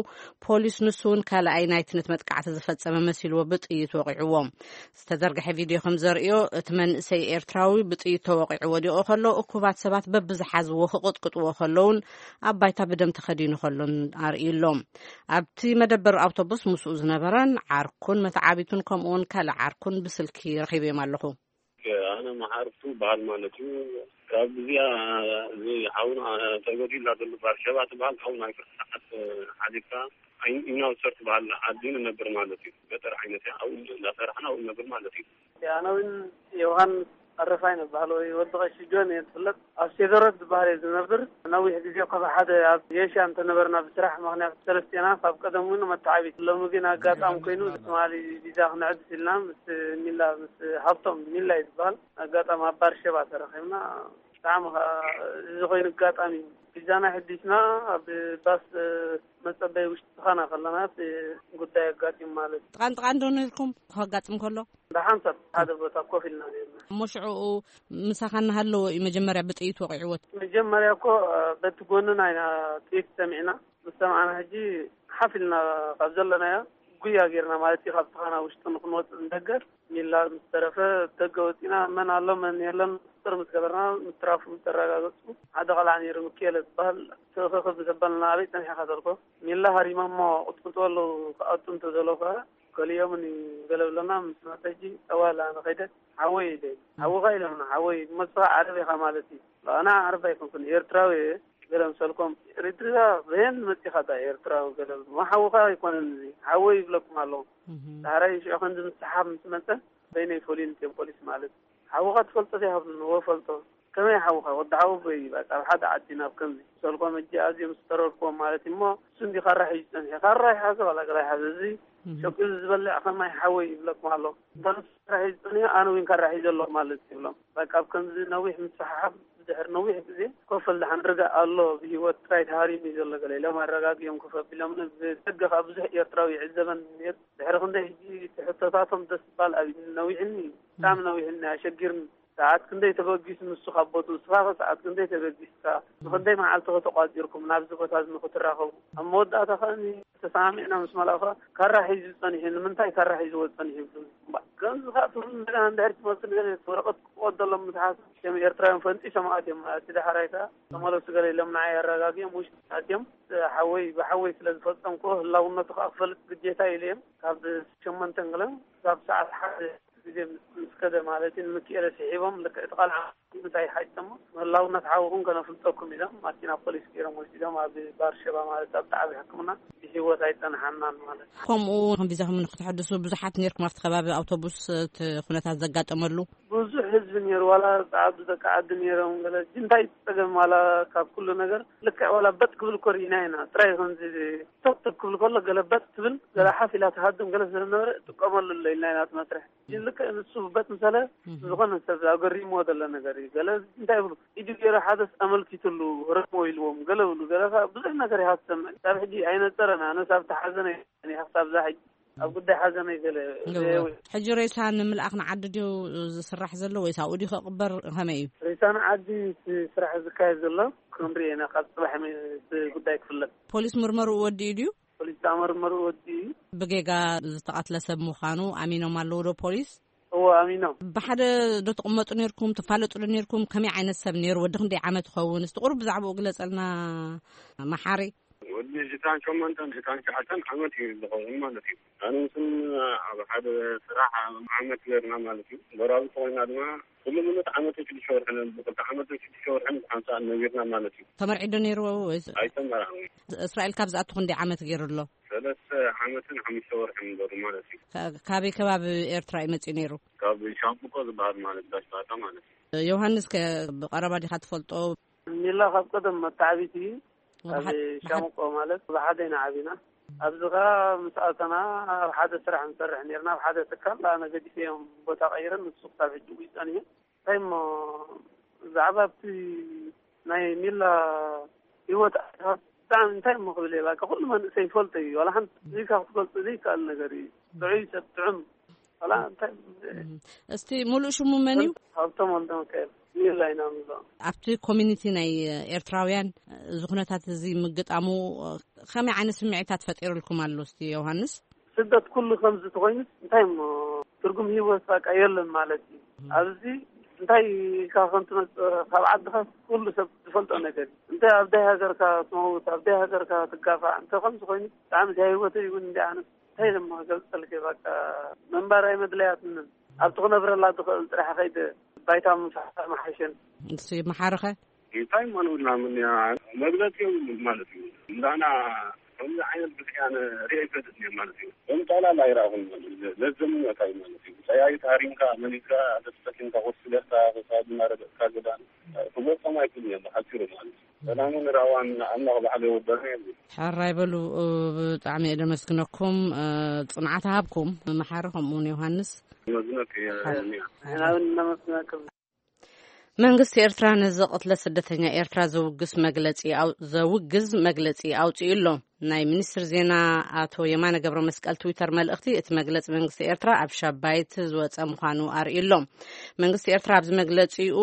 ፖሊስ ንሱ እውን ካልኣይ ናይቲ ነቲ መጥቃዕቲ ዝፈጸመ መሲልዎ ብጥይት ወቒዕዎ። ዝተዘርግሐ ቪድዮ ከም ዘርእዮ እቲ መንእሰይ ኤርትራዊ ብጥይት ተወቒዑ ወዲቑ ከሎ እኩባት ሰባት በብዝሓዝዎ ክቕጥቅጥዎ ከለውን ኣብ ባይታ ብደም ተኸዲኑ ከሎን ኣርእዩ ኣሎ። ኣብቲ መደበር ኣውቶቡስ ምስኡ ዝነበረን ዓርኩን መተዓቢቱን ከምኡውን ካልእ ዓርኩን ብስልኪ ረኺበዮም ኣለኹ። ኣነ መሓርቱ በዓል ማለት እዩ። ካብ እዚኣ እዚ ሓውና ተጎዲላ ዘሎ በዓል ሸባ ትበሃል ሓውና ኣይክር ሰዓት ሓሊፍካ ኢናውሰር ትበሃል ዓዲ ንነብር ማለት እዩ። ገጠር ዓይነት እያ። ኣብኡ እንዳሰራሕና ኣብኡ ንነብር ማለት እዩ። ኣነ እውን ዮሃንስ ኣረፋይ ንበሃል ወይ ወዲ ቀሺ ጆን እየ ዝፍለጥ። ኣብ ሴደሮት ዝበሃል እየ ዝነብር። ነዊሕ ግዜ ካብ ሓደ ኣብ ጌሻ እንተነበርና ብስራሕ ምኽንያት ሰለስቴና ካብ ቀደም እውን መተዓቢት። ሎሚ ግን ኣጋጣሚ ኮይኑ ትማሊ ቪዛ ክነዕድስ ኢልና ምስ ሚላ፣ ምስ ሃብቶም ሚላ እዩ ዝበሃል። ኣጋጣሚ ኣብ ባርሸባ ተረኺብና። ብጣዕሚ ኸዓ እዚ ኮይኑ ኣጋጣሚ እዩ። ቪዛና ሕዲስና ኣብ ባስ መጸበይ ውሽጢ ዝኾና ከለና እቲ ጉዳይ ኣጋጢሙ ማለት እዩ። ጥቓን ጥቓን ዶ ነርኩም ከጋጥም ከሎ? ብሓንሳብ ሓደ ቦታ ኮፍ ኢልና ነርና። እሞ ሽዑኡ ምሳኻ እናሃለወ እዩ መጀመርያ ብጥይት ወቒዕዎ? መጀመርያ እኮ በቲ ጎንና ኢና ጥይት ሰሚዕና። ምስ ሰማዕና ሕጂ ሓፍ ኢልና ካብ ዘለናዮ ጉያ ጌርና ማለት እዩ። ካብ ዝኾና ውሽጢ ንክንወጽእ ንደገ ሚላ ምስ ተረፈ ደገ ወጺና መን ኣሎ መን የለን ቁጽር ምስ ገበርና ምትራፉ ምስ ተረጋገጹ ሓደ ቆልዓ ነይሩ ምክኤለ ዝበሃል ትእኽኽ ምስ ኣበልና ኣበይ ጸኒሕኻ ተልኮ ሚላ ሃሪሞሞ ቅጥቅጥዎ ኣለዉ ክኣቱ እንተዘለዉ ከኣ ገሊኦምን እዩ ገለ ብለና ምስ መጸ ሕጂ ጠዋላ ንኸይደ ሓወይ ኢለ ሓውኻ ኢሎምና ሓወይ እሞ ንስኻ ዓረብ ኢኻ ማለት እዩ ኣነ ዓረብ ኣይኮንኩን ኤርትራዊ እየ ገለ ምሰልኮም ኤርትራ በየን መጺኻ ዳ ኤርትራዊ ገለ ብሎ ሓውኻ ኣይኮነን ሓወይ ይብለኩም ኣለኹ ዳሕራይ ሽዑ ከምዚ ምስ ሰሓብ ምስ መጸ በይነይ ፈልዩኒ እትዮም ፖሊስ ማለት ሓውኻ ትፈልጦ ዘይሃብሉን እወ ፈልጦ ከመይ ሓውኻ ወዲ ሓወቦይ እዩ በቃ ኣብ ሓደ ዓዲ ናብ ከምዚ ሰልኮም እጂ ኣዝዮም ዝተረድክዎም ማለት እዩ እሞ እሱ እንዲ ካራ ሒዙ ጸኒሑ ካራ ይሓዘ ዋላ ገላ ይሓዘ እዚ ሸቂሉ ዝበልዕ ከማይ ሓወይ ይብለኩም ኣሎ እንተንሱ ካራ ሒዙ ጸኒሑ ኣነ እውን ካራ ሒዘ ኣለኹ ማለት ይብሎም በቃ ኣብ ከምዚ ነዊሕ ምስሓሓብ ብድሕሪ ነዊሕ ግዜ ኮፈል ደሓን ርጋእ ኣሎ ብህይወት ጥራይ ተሃሪሙ እዩ ዘሎ ገለ ኢሎም ኣረጋጊኦም ኮፍ ኣቢሎም ብደገ ከዓ ብዙሕ ኤርትራዊ ይዕዘበን ነይሩ ድሕሪ ክንደይ ሕጂ እቲ ሕቶታቶም ደስ ባል ኣብ ነዊሕኒ ብጣዕሚ ነዊሕኒ ኣሸጊርኒ ሰዓት ክንደይ ተበጊሱ ንሱ ካብ ቦትኡ ንስኻ ከ ሰዓት ክንደይ ተበጊስካ ንክንደይ መዓልቲ ከ ተቋጺርኩም ናብዚ ቦታ እዚ ንክትራኸቡ ኣብ መወዳእታ ከኣ ተሰማሚዕና ምስ መላእኹ ካራ ሒዙ ጸኒሑ ንምንታይ ካራ ሒዝዎ ጸኒሑ ይብሉ እምበር ከምዚ ከኣ ትብሉ እንደገና እንድሕር ትመልሱ ንገለ ወረቐት ክወደሎም ምስ ሓሰብ ከም ኤርትራውያን ፈንጢሶም ኣትዮም እቲ ዳሕራይ ከኣ ተመለሱ ገለ ኢሎም ንዓይ ኣረጋጊኦም ውሽጢ ኣትዮም ሓወይ ብሓወይ ስለ ዝፈጸምክዎ ህላውነቱ ከኣ ክፈልጥ ግዴታ ኢሉ እዮም ካብ ሸሞንተ ገለ ክሳብ ሰዓት ሓደ ግዜ ምስ ከደ ማለት እዩ ንምክኤለ ስሒቦም ልክዕ እቲ ቃልዓ እንታይ ሓይጠሞ ምህላውነት ሓውኹም ከነፍልጠኩም ኢሎም ማኪና ፖሊስ ገይሮም ወሲዶም ኣብ ባርሸባ ማለት ኣብ ጣዕቢ ሕክምና ብሂወት ኣይፀንሓናን ማለት እዩ። ከምኡ ከም ቪዛኹም ንክትሕድሱ ብዙሓት ነርኩም ኣብቲ ከባቢ ኣውቶቡስ እቲ ኩነታት ዘጋጠመሉ ብዙሕ ህዝቢ ነይሩ ዋላ ፃዓዱ ደቂ ዓዲ ነይሮም ገለ እንታይ ፀገም ዋላ ካብ ኩሉ ነገር ልክዕ ዋላ በጥ ክብል እኮ ርኢና ኢና ጥራይ ከምዚ ቶክቶክ ክብል ከሎ ገለ በጥ ትብል ገለ ሓፍ ኢላ ትሃድም ገለ ስለዝነበረ ጥቀመሉ ኣሎ ኢልና ኢና እቲ መስርሕ ልክዕ ንሱ በት ምሰለ ዝኾነ ሰብ ኣገሪምዎ ዘሎ ነገር እዩ ገለ እንታይ ይብሉ ኢዱ ገይሩ ሓደስ ኣመልኪትሉ ረሞ ኢልዎም ገለ ብሉ ገለ ብዙሕ ነገር ኢኻ ትሰምዕ ካብ ሕጂ ኣይነፀረን ኣነስ ኣብቲ ሓዘነ ኢኻ ክሳብ ዛ ሕጂ ኣብ ጉዳይ ሓዘነ ገለ ሕጂ ሬሳ ንምልኣኽ ንዓዲ ድዩ ዝስራሕ ዘሎ ወይስ ኣብኡ ድዩ ክቕበር ከመይ እዩ ሬሳ ንዓዲ ስራሕ ዝካየድ ዘሎ ክንሪኦ ኢና ካብ ፅባሕ ጉዳይ ክፍለጥ ፖሊስ ምርመርኡ ወዲኡ ድዩ ፖሊስ ዝኣመርመሩ ወዲ እዩ። ብጌጋ ዝተቐትለ ሰብ ምዃኑ ኣሚኖም ኣለዉ ዶ ፖሊስ? እዎ ኣሚኖም። ብሓደ ዶ ትቕመጡ ነርኩም? ትፋለጡ ዶ ነርኩም? ከመይ ዓይነት ሰብ ነይሩ? ወዲ ክንደይ ዓመት ይኸውን? እስቲ ቁሩብ ብዛዕባኡ ግለጸልና መሓሪ። እታን ሸሞንተን እታን ሸዓተን ዓመት እዩ ዝኸውን ማለት እዩ። ኣነ ምስን ኣብ ሓደ ስራሕ ዓመት ገርና ማለት እዩ። በራዊ ተኮይና ድማ ኩሉ ምሉት ዓመት ሽዱሽተ ወርሕን ብክልተ ዓመት ሽዱሽተ ወርሕን ሓንሳእ ነቢርና ማለት እዩ። ተመርዒዶ ነይሩ ወይስ? ኣይተመርዓን። እስራኤል ካብ ዝኣቱ ክንደይ ዓመት ገይሩ ኣሎ? ሰለስተ ዓመትን ሓሙሽተ ወርሕን በሩ ማለት እዩ። ካበይ ከባቢ ኤርትራ እዩ መፂኡ ነይሩ? ካብ ሻምብቆ ዝበሃል ማለት ጋሽ ባታ ማለት እዩ። ዮሃንስ ከ ብቐረባ ዲኻ ትፈልጦ? ሚላ ካብ ቀደም መተዓቢት እዩ። ካብ ሻምቆ ማለት ብሓደ ኢና ዓቢና። ኣብዚ ኸዓ ምስ ኣተና ኣብ ሓደ ስራሕ ንሰርሕ ነርና፣ ኣብ ሓደ ትካል ኣነ ገዲፈዮም ቦታ ቀይረን ንሱ ክሳብ ሕጂ ውይ ጸኒሑ። እንታይ እሞ ብዛዕባ ኣብቲ ናይ ሚላ ህይወት ብጣዕሚ እንታይ እሞ ክብል እየ፣ በቃ ኩሉ መንእሰይ ይፈልጦ እዩ። ዋላ ሓንቲ እዚካ ክትፈልጦ ዘይከኣል ነገር እዩ። ጥዑይ ሰብ ጥዑም ዋላ እንታይ። እስቲ ሙሉእ ሽሙ መን እዩ? ሃብቶም ወልደ ሚካኤል ሚላ ኢና ንብሎ። ኣብቲ ኮሚኒቲ ናይ ኤርትራውያን እዚ ኩነታት እዚ ምግጣሙ ከመይ ዓይነት ስምዒታት ፈጢሩልኩም ኣሎ? እስቲ ዮሃንስ። ስደት ኩሉ ከምዚ ተኮይኑ እንታይ እሞ ትርጉም ህይወት በቃ የለን ማለት እዩ። ኣብዚ እንታይ ኢልካ ከም ትመጽእ ካብ ዓድኻ ኩሉ ሰብ ዝፈልጦ ነገር እዩ። እንታይ ኣብ ዳይ ሃገርካ ትመውት፣ ኣብ ዳይ ሃገርካ ትጋፋዕ እንተ ከምዚ ኮይኑ ብጣዕሚ ዳይ ህይወተይ እውን እንዲ ኣነስ እንታይ ኢለ እሞ ክገልጸልኪ በቃ ምንባር ኣይመድለያትንን። ኣብቲ ክነብረላ ዝኽእል ጥራሕ ከይደ ባይታ ምምሳሕ ምሓሸን። ንሱ ይመሓርኸ? እንታይ እሞ ንብልና ምን እያ መግለጺ የብሉን ማለት እዩ። እንዳና ከምዚ ዓይነት ብድሕያ ሪኦ ይፈልጥ እየ ማለት እዩ። ከም ጠቕላላ ኣይረኣኹን ማለት እዩ። ለዘምነታ እዩ ማለት እዩ። ጸያይት ሃሪምካ መሊስካ ተስተኪምካ ኮስለካ ክሳብ እናረገጽካ ገዳን ክመጾም ኣይክእልን እዮም ብሓጺሩ ማለት እዩ። ሰላምን ራዋን ኣምላኽ ባዕሉ የወደና የብሉ። ሕራይ በሉ። ብጣዕሚ እየ ደመስግነኩም። ጽንዓት ሃብኩም መሓሪ ከምኡውን ዮሃንስ። መዝነት እየ። ሕራይ። ንሕና እውን እናመስግነኩም። መንግስቲ ኤርትራ ነዚ ቅትለት ስደተኛ ኤርትራ ዘውግስ መግለጺ ኣው- ዘውግዝ መግለጺ ኣውጺኡ ኣሎ። ናይ ሚኒስትር ዜና ኣቶ የማነ ገብረ መስቀል ትዊተር መልእኽቲ፣ እቲ መግለጺ መንግስቲ ኤርትራ ኣብ ሻባይት ዝወጸ ምዃኑ ኣርእዩ ኣሎ። መንግስቲ ኤርትራ ኣብዚ መግለጺኡ፣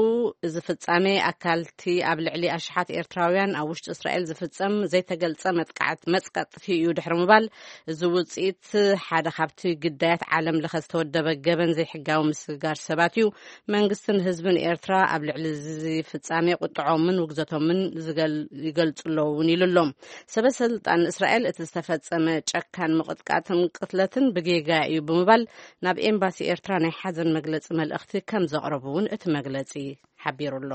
እዚ ፍጻሜ ኣካልቲ ኣብ ልዕሊ ኣሽሓት ኤርትራውያን ኣብ ውሽጢ እስራኤል ዝፍጸም ዘይተገልጸ መጥቃዕት መጽቀጥቲ እዩ ድሕሪ ምባል፣ እዚ ውጽኢት ሓደ ካብቲ ግዳያት ዓለም ለኸ ዝተወደበ ገበን ዘይሕጋዊ ምስግጋር ሰባት እዩ። መንግስትን ህዝብን ኤርትራ ኣብ ልዕሊ እዚ ፍጻሜ ቁጥዖምን ውግዘቶምን ዝገል- ይገልጹ ኣለዉ እውን ኢሉ ኣሎ። ሰበ ስልጣን እስራኤል እቲ ዝተፈጸመ ጨካን ምቕጥቃጥን ቅትለትን ብጌጋ እዩ ብምባል ናብ ኤምባሲ ኤርትራ ናይ ሓዘን መግለጺ መልእኽቲ ከም ዘቕረቡ እውን እቲ መግለጺ ሓቢሩ ኣሎ።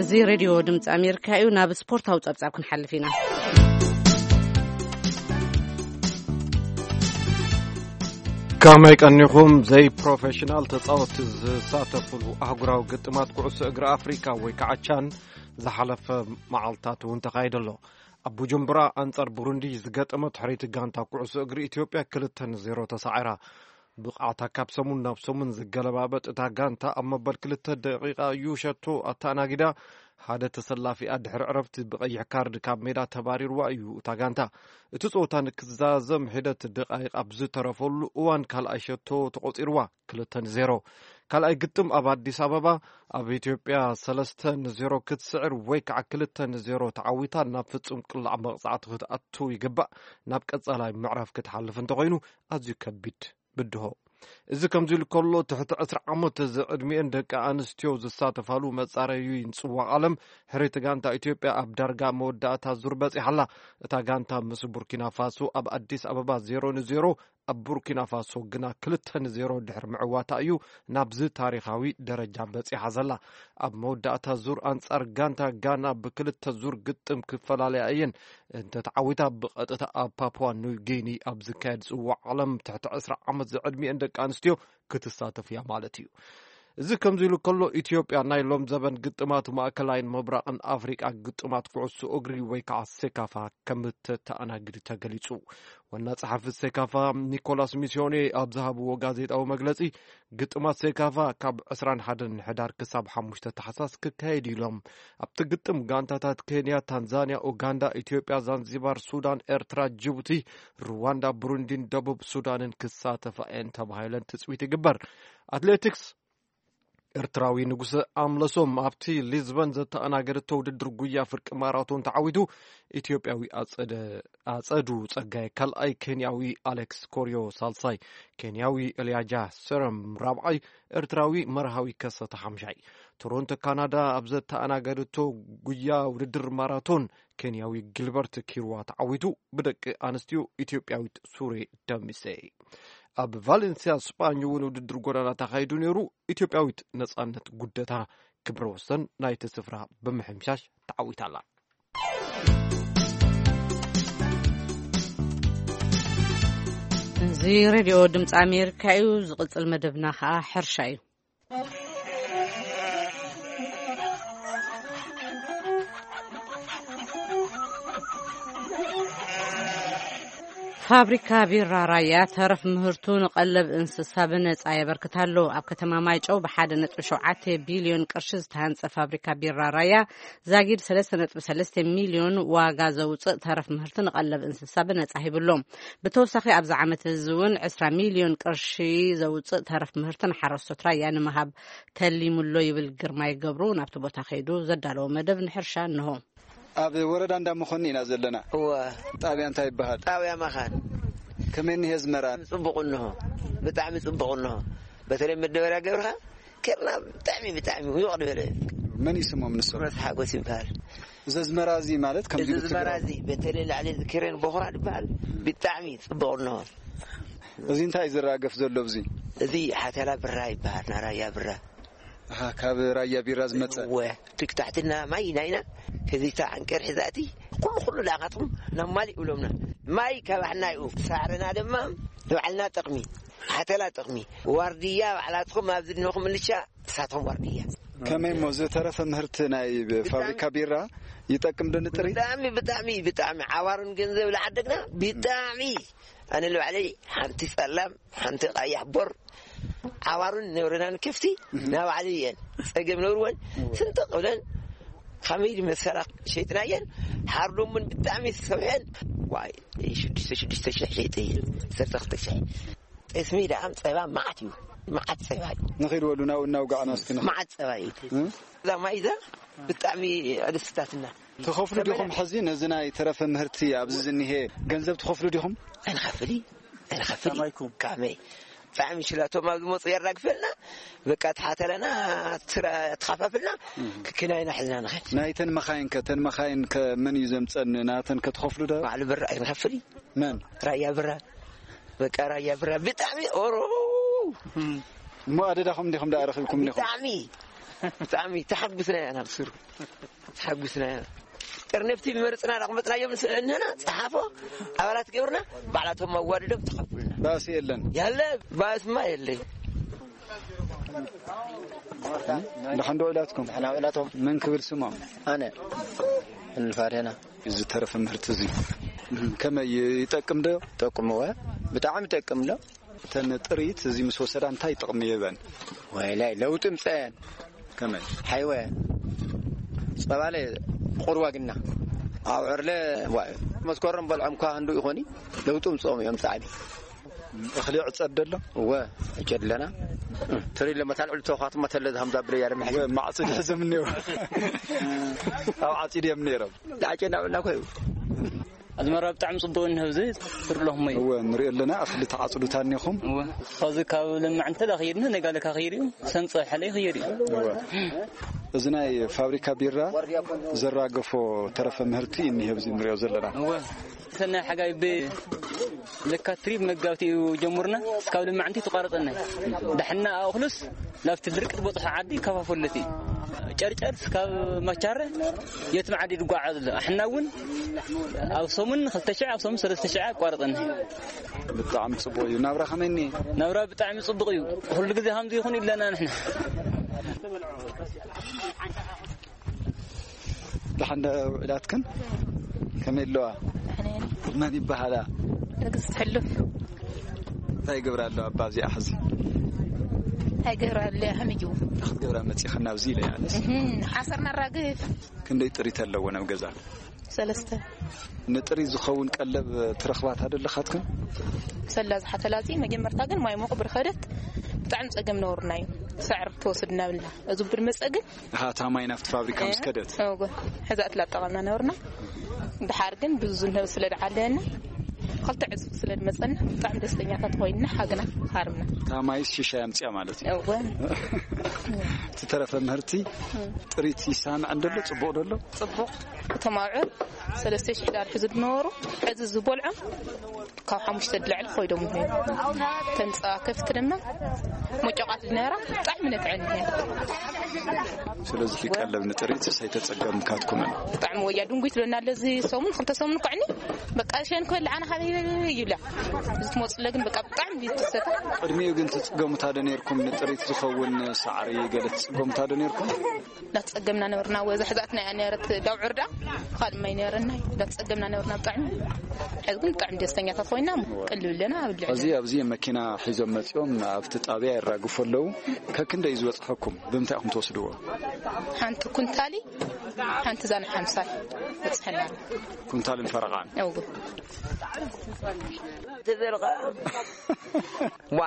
እዚ ሬድዮ ድምፂ ኣሜሪካ እዩ። ናብ ስፖርታዊ ጸብጻብ ክንሓልፍ ኢና። ከመይ ቀኒኹም? ዘይፕሮፌሽናል ተጻወትቲ ዝሳተፍሉ ኣህጉራዊ ግጥማት ኩዕሶ እግሪ ኣፍሪካ ወይ ከዓ ቻን ዝሓለፈ መዓልታት እውን ተኻይዱ ኣሎ። ኣብ ቡጁምቡራ ኣንጻር ቡሩንዲ ዝገጠመት ሕርይቲ ጋንታ ኩዕሶ እግሪ ኢትዮጵያ ክልተ ንዜሮ ተሳዒራ። ብቕዓታ ካብ ሰሙን ናብ ሰሙን ዝገለባበጥ እታ ጋንታ ኣብ መበል ክልተ ደቂቓ እዩ ሸቶ ኣተኣናጊዳ። ሓደ ተሰላፊኣ ድሕሪ ዕረፍቲ ብቐይሕ ካርድ ካብ ሜዳ ተባሪርዋ እዩ እታ ጋንታ። እቲ ጸወታ ንክዛዘም ሒደት ደቃይቕ ኣብ ዝተረፈሉ እዋን ካልኣይ ሸቶ ተቖጺርዋ። ክልተ ንዜሮ። ካልኣይ ግጥም ኣብ ኣዲስ ኣበባ ኣብ ኢትዮጵያ ሰለስተ ንዜሮ ክትስዕር ወይ ከዓ ክልተ ንዜሮ ተዓዊታ ናብ ፍጹም ቅላዕ መቕጻዕቲ ክትኣቱ ይግባእ። ናብ ቀጻላይ ምዕራፍ ክትሓልፍ እንተኾይኑ ኣዝዩ ከቢድ ብድሆ። እዚ ከምዚ ኢሉ ከሎ ትሕቲ ዕስራ ዓመት ዝዕድሚኤን ደቂ ኣንስትዮ ዝሳተፋሉ መጻረዩ ይንጽዋ ዓለም ሕርይቲ ጋንታ ኢትዮጵያ ኣብ ዳርጋ መወዳእታ ዙር በጺሓ ኣላ። እታ ጋንታ ምስ ቡርኪና ፋሶ ኣብ ኣዲስ ኣበባ ዜሮ ንዜሮ፣ ኣብ ቡርኪና ፋሶ ግና ክልተ ንዜሮ ድሕሪ ምዕዋታ እዩ ናብዚ ታሪኻዊ ደረጃ በጺሓ ዘላ። ኣብ መወዳእታ ዙር ኣንጻር ጋንታ ጋና ብክልተ ዙር ግጥም ክፈላለያ እየን። እንተተዓዊታ ብቐጥታ ኣብ ፓፑዋ ኒው ጊኒ ኣብ ዝካየድ ጽዋዕ ዓለም ትሕቲ ዕስራ ዓመት ዝዕድሚኤን ደቂ ኣንስትዮ ክትሳተፍ እያ ማለት እዩ። እዚ ከምዚ ኢሉ ከሎ ኢትዮጵያ ናይ ሎም ዘበን ግጥማት ማእከላይን ምብራቕን ኣፍሪቃ ግጥማት ኩዕሶ እግሪ ወይ ከዓ ሴካፋ ከም እተኣናግድ ተገሊጹ። ዋና ጸሓፊ ሴካፋ ኒኮላስ ሚስዮኔ ኣብ ዝሃብዎ ጋዜጣዊ መግለጺ ግጥማት ሴካፋ ካብ ዕስራን ሓደን ሕዳር ክሳብ ሓሙሽተ ታሕሳስ ክካየድ ኢሎም። ኣብቲ ግጥም ጋንታታት ኬንያ፣ ታንዛንያ፣ ኡጋንዳ፣ ኢትዮጵያ፣ ዛንዚባር፣ ሱዳን፣ ኤርትራ፣ ጅቡቲ፣ ሩዋንዳ፣ ብሩንዲን ደቡብ ሱዳንን ክሳተፋ እየን ተባሂለን ትጽቢት ይግበር። ኣትሌቲክስ ኤርትራዊ ንጉሰ ኣምለሶም ኣብቲ ሊዝበን ዘተኣናገደቶ ውድድር ጉያ ፍርቂ ማራቶን ተዓዊቱ፣ ኢትዮጵያዊ ኣጸደ-፣ ኣጸዱ ጸጋይ ካልኣይ፣ ኬንያዊ ኣሌክስ ኮርዮ ሳልሳይ፣ ኬንያዊ ኤልያጃ ሰረም ራብዓይ፣ ኤርትራዊ መርሃዊ ከሰተ ሓምሻይ። ቶሮንቶ ካናዳ ኣብ ዘተኣናገደቶ ጉያ ውድድር ማራቶን፣ ኬንያዊ ጊልበርት ኪርዋ ተዓዊቱ፣ ብደቂ ኣንስትዮ ኢትዮጵያዊት ሱሬ ደምሴ። ኣብ ቫሌንሲያ ስጳኝ እውን ውድድር ጎዳና ተኻይዱ ነይሩ። ኢትዮጵያዊት ነጻነት ጉደታ ክብረ ወሰን ናይቲ ስፍራ ብምሕምሻሽ ተዓዊታ ኣላ። እዚ ሬድዮ ድምፂ ኣሜሪካ እዩ። ዝቕፅል መደብና ከዓ ሕርሻ እዩ። ፋብሪካ ቢራ ራያ ተረፍ ምህርቱ ንቐለብ እንስሳ ብነጻ የበርክት ኣሎ። ኣብ ከተማ ማይጨው ብሓደ ነጥቢ ሸውዓተ ቢልዮን ቅርሺ ዝተሃንጸ ፋብሪካ ቢራ ራያ ዛጊድ ሰለስተ ነጥቢ ሰለስተ ሚልዮን ዋጋ ዘውጽእ ተረፍ ምህርቲ ንቐለብ እንስሳ ብነጻ ሂብሎም። ብተወሳኺ ኣብዚ ዓመት እዚ እውን ዕስራ ሚልዮን ቅርሺ ዘውጽእ ተረፍ ምህርቲ ንሓረስቶት ራያ ንምሃብ ተሊሙሎ ይብል ግርማይ ገብሩ። ናብቲ ቦታ ከይዱ ዘዳለዎ መደብ ንሕርሻ እንሆ። ኣብ ወረዳ እንዳመኾኒ ኢና ዘለና። እወ። ጣብያ እንታይ ይበሃል? ጣብያ መኻን። ከመይ እኒሄ ኣዝመራ? ጽቡቕ እንሆ። ብጣዕሚ ጽቡቕ እንሆ። በተለይ መደበርያ ገብርኻ ኬርና ብጣዕሚ፣ ብጣዕሚ ውቕ ዝበለ። መን እዩ ስሞም ንሶም? ረት ሓጎስ ይበሃል። እዚ ኣዝመራ እዚ ማለት ከምዚ እዚ ኣዝመራ ብትግርኛ እዚ በተለይ ላዕሊ እዚ ኬሬን ቦኽራ ይበሃል። ብጣዕሚ ጽቡቕ እንሆ። እዚ እንታይ እዩ ዝራገፍ ዘሎ ኣብዚ? እዚ ሓተላ ብራ ይበሃል፣ ናራያ ብራ። ኣሃ፣ ካብ ራያ ቢራ ዝመጸ? እወ፣ ትክ ታሕትና ማይ ናይና፣ ከዚታ ዓንቀር ሒዛቲ፣ ኩሉ ኩሉ ዳኻትኩም ናብ ማሊ ይብሎምና። ማይ ካባሕና እዩ፣ ሳዕርና ድማ ንባዕልና ጥቕሚ፣ ሓተላ ጥቕሚ፣ ዋርድያ ባዕላትኩም ኣብ ዝድነኹም ምልሻ፣ እሳቶም ዋርድያ። ከመይ እሞ ዝተረፈ ምህርቲ ናይ ፋብሪካ ቢራ ይጠቅም ዶ ንጥሪ? ብጣዕሚ፣ ብጣዕሚ፣ ብጣዕሚ ዓዋርን ገንዘብ ለዓደግና፣ ብጣዕሚ ኣነ ንባዕለይ ሓንቲ ጸላም፣ ሓንቲ ቀያሕ ቦር፣ ዓዋሩን ነብረናን ከፍቲ ናባዕሉ እየን ጸገም ነብርወን ስንጥቕ ብለን ከመይ መሰላ ሸይጥናየን። ሓርዶምን ብጣዕሚ ዝሰብሐን ዋይ ሽዱሽተ ሽዱሽተ ሽሕ ሸይጠ እየን። ዓሰርተ ክልተ ሽሕ። ጠስሚ ደኣም ጸባ መዓት እዩ፣ መዓት ጸባ እዩ። ንኺድ በሉ ናብኡ እናውጋዕና እስኪ ንኺድ። መዓት ጸባ እዩ። እ? እዛ ማይ እዛ ብጣዕሚ ኣደስታትና። ትኸፍሉ ዲኹም ሕዚ ነዚ ናይ ተረፈ ምህርቲ ኣብዚ ዝኒሄ ገንዘብ ትኸፍሉ ዲኹም? ኣይንኸፍል፣ ኣይንኸፍል። ከመይ? ብጣዕሚ ሽላቶም ኣብ ዝመፁ የራግፈልና። በቃ ተሓተለና፣ ትራ-፣ ተኻፋፍልና፣ ክክናይና ሒዝና ንኸድ። ናይተን መኻይን ከ፣ ተን መኻይን ከ መን እዩ ዘምፀን? ናተን ከ ትኸፍሉ ዶ? ባዕሉ ብራ ኣይንኸፍል። መን? ራያ ብራ። በቃ ራያ ብራ ብጣዕሚ ኦሮ። እሞ ኣደዳኹም ዲኹም ደኣ ረኺብኩም ዲኹም? ብጣዕሚ፣ ብጣዕሚ ተሓጉስና ኢና ናብ ስሩ። ተሓጉስና ኢና። ጥርንፍቲ መርፅና ዳቕመፅናዮም ንስእንና ፀሓፎ ኣባላት ገብርና ባዕላቶም ኣዋድዶም ተኸፍሉና። ባእሲ የለን። ያለ ባእስማ የለይ። ደሓን ዶ ውዒላትኩም? ደሓን ውዒላቶም። መን ክብል ስሞም? ኣነ እንፋዴና። ዝተረፈ ምህርቲ እዚ ከመይ ይጠቅም ዶ? ጠቅምወ። ብጣዕሚ ይጠቅም ዶ? እተን ጥሪት እዚ ምስ ወሰዳ እንታይ ጥቕሚ ይህበን? ወይላይ ለውጢ ምፀየን። ከመይ? ሓይወ ጸባለ ቁርባ ግና ኣብ ዕርለ ዋ-፣ መስከረም በልዖም ኳ ክንዱ ይኾኒ ለውጢ ምፅኦም እዮም ጻዕቢ። እኽሊ ዕጸድ ደሎ? እወ፣ ዕጨድ ኣለና። ትሪ ለመታል ዕሉ ተውኻትማ ተለ ዝሃምዛ ብለያ ለምሐ። እወ፣ ማዕጺድ ሕዘም እኒኦ። ኣብ ዓጺድ እዮም ነይሮም። ዳዕጨ እናበልና ኮዩ። ኣዝመራ ብጣዕሚ ጽቡቕ እንህብዚ ትርለኹም እዩ። እወ፣ ንሪኦ ኣለና። እኽሊ ተዓጽዱ ታኒኹም? እወ። ካብዚ ካብ ለማዕ እንተ ዳ ኸይድና፣ ነጋለ ካ ኸይድ እዩ። ሰምጸ ሕለ ይኸይድ እዩ። እወ። እዚ ናይ ፋብሪካ ቢራ ዘራገፎ ተረፈ ምህርቲ እዩ እኒሀ፣ ኣብዚ ንሪኦ ዘለና። እወ። ሰናይ ሓጋይ ብ-፣ ለካ ትሪብ መጋብቲ እዩ ጀምርና። እስካብ ለማዕንቲ ተቋረጸና። ዳሕና ኣእኽሉስ ናብቲ ድርቂ ዝበጽሖ ዓዲ ይከፋፈለቲ። ጨርጨር እስካብ ማቻረ የትም ዓዲ ዝጓዓዝ ኣሎ። ኣሕና እውን ኣብ ሰሙን ክልተ ሽሕ፣ ኣብ ሰሙን ሰለስተ ሽሕ ኣቋርጠና። ብጣዕሚ ጽቡቕ እዩ። ናብራ ከመይ እኒኤ? ናብራ ብጣዕሚ ጽቡቕ እዩ። ኩሉ ግዜ ከምዚ ይኹን ኢለና ንሕና። ደሓን ዶ ውዕላትክን? ከመይ ኣለዋ? ደሕና እየን። መን ይበሃላ? ንግስቲ ሕሉፍ። እንታይ ይገብራ ኣለዋ እባ ኣብዚኣ ሕዚ? እንታይ ይገብራ ኣለዋ? ከመይ እዩ? እንታይ ክትገብራ መጺኽን ናብዚ ኢለ እየ ኣነስ። እህም፣ ሓሰር ነራግፍ። ክንደይ ጥሪት ኣለወን ኣብ ገዛ? ሰለስተ። ንጥሪት ዝኸውን ቀለብ ትረኽባ ዶ ኣለኻትክን? ሰላ ዝሓተላ እዚ መጀመርታ ግን ማይ ሞቕ ብርኸደት ብጣዕሚ ጸገም ነበሩና እዩ። ሳዕሪ ክትወስድ እናብልና፣ እዚ ብድመፀ ግን እታ ማይ ናብቲ ፋብሪካ ምስ ከደት? እወ፣ ሕዛእት ላጠቐምና ነበርና። ድሓር ግን ብዙ ንህብ ስለ ድዓለና፣ ክልተ ዕፅፊ ስለ ድመፀና፣ ብጣዕሚ ደስተኛታት ኮይንና፣ ሓግና ሃርምና። እታ ማይስ ሽሻይ ኣምፅያ ማለት እዩ። እወ። እቲ ተረፈ ምህርቲ ጥሪት ይሳምዕ እንደሎ? ፅቡቕ ደሎ? ፅቡቕ። እቶም ኣብዑር ሰለስተ ሽሕ ዳር ሕዙ ዝነበሩ፣ ሕዚ ዝበልዖም ካብ ሓሙሽተ ድላዕሊ ኮይዶም ይኾኑ። ተምፃ ከፍቲ ድማ መጨቃት ዝነበራ ብጣዕሚ ነትዐን ይሄ። ስለዚ ቀለብ ንጥሪት ሰይተጸገምካትኩምን? ብጣዕሚ ወያ ድንጉይ ትለና ኣለዚ ሰሙን ክልተ ሰሙን ኮዕኒ በቃ ሸን ክበልዓና ካብ ይብላ። እዚ ትመፅለ ግን በቃ ብጣዕሚ ትሰታ። ቅድሚኡ ግን ትጽገሙታ ዶ ነርኩም? ንጥሪት ዝኸውን ሳዕሪ ገለ ትጽገሙታ ዶ ነርኩም? እናተጸገምና ነበርና። ወዛ ሕዛእትና እያ ነረት ዳውዕር ዳ ካልእ ማይ ነረና። እናተጸገምና ነበርና ብጣዕሚ። ሕዚ ግን ብጣዕሚ ደስተኛታት ኮይና ቅልብ ኣለና ኣብ ልዕሊ። እዚ ኣብዚ መኪና ሒዞም መጺኦም ኣብቲ ጣብያ የራግፉ ኣለዉ። ከክንደይ ዝበጽሐኩም? ብምንታይ ኢኹም ትወስድዎ? ሓንቲ ኩንታሊ፣ ሓንቲ ዛን ሓምሳይ በጽሐና። ኩንታልን ፈረቓን? እው። ተዘርቐ። ዋ፣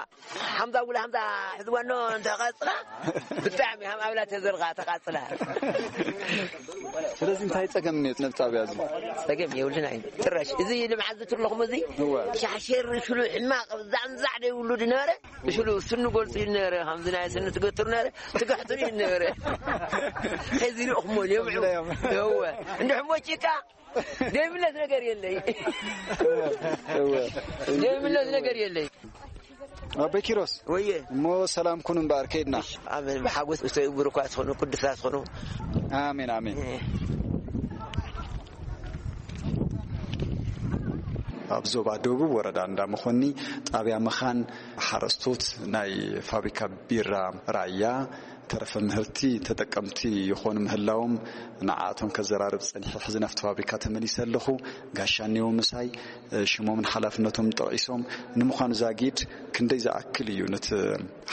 ሓምዛ ጉላ ሓምዛ ሕዝወኖ እንተቐጽላ፣ ብጣዕሚ ሃም ኣብላ ተዘርቓ ተቓጽላ። ስለዚ እንታይ ጸገም እኒኦ ነብ ጣብያ እዚ? ጸገም የብሉን ኣይ። ጭራሽ እዚ ልምዓት ዝትርለኹም እዚ እወ። ሻሕሸር ሽሉ ሕማቕ ዛዕንዛዕ ደይብሉ ድነበረ፣ ሽሉ ስኑ ጎልጽ ይነበረ፣ ከምዚ ናይ ስኑ ትገትር ነበረ፣ ትግሕትር ይነበረ። ሕዚ ርኢኹሞ የምዑ። እወ። እንድሕሞ ጭቃ ዘይብለት ነገር የለይ። እወ፣ እወ። ዘይብለት ነገር የለይ። ኣቦይ ኪሮስ፣ ወየ። እሞ ሰላም ኩኑ እምበኣር፣ ከይድና። ኣሜን። ብሓጎስ እቶ ይጉር እኳ ትኾኑ፣ ቅዱሳት ትኾኑ። ኣሜን፣ ኣሜን። እ። ኣብ ዞባ ደቡብ ወረዳ እንዳ መኾኒ ጣብያ መኻን ሓረስቶት ናይ ፋብሪካ ቢራ ራያ ተረፈ ምህርቲ ተጠቀምቲ ይኾኑ ምህላዎም ንዓኣቶም ከዘራርብ ጸኒሐ። ሕዚ ናብቲ ፋብሪካ ተመሊሰ ኣለኹ። ጋሻ እኒኦ ምሳይ፣ ሽሞምን ሓላፍነቶም ጠቒሶም። ንምዃኑ ዛጊድ ክንደይ ዝኣክል እዩ ነቲ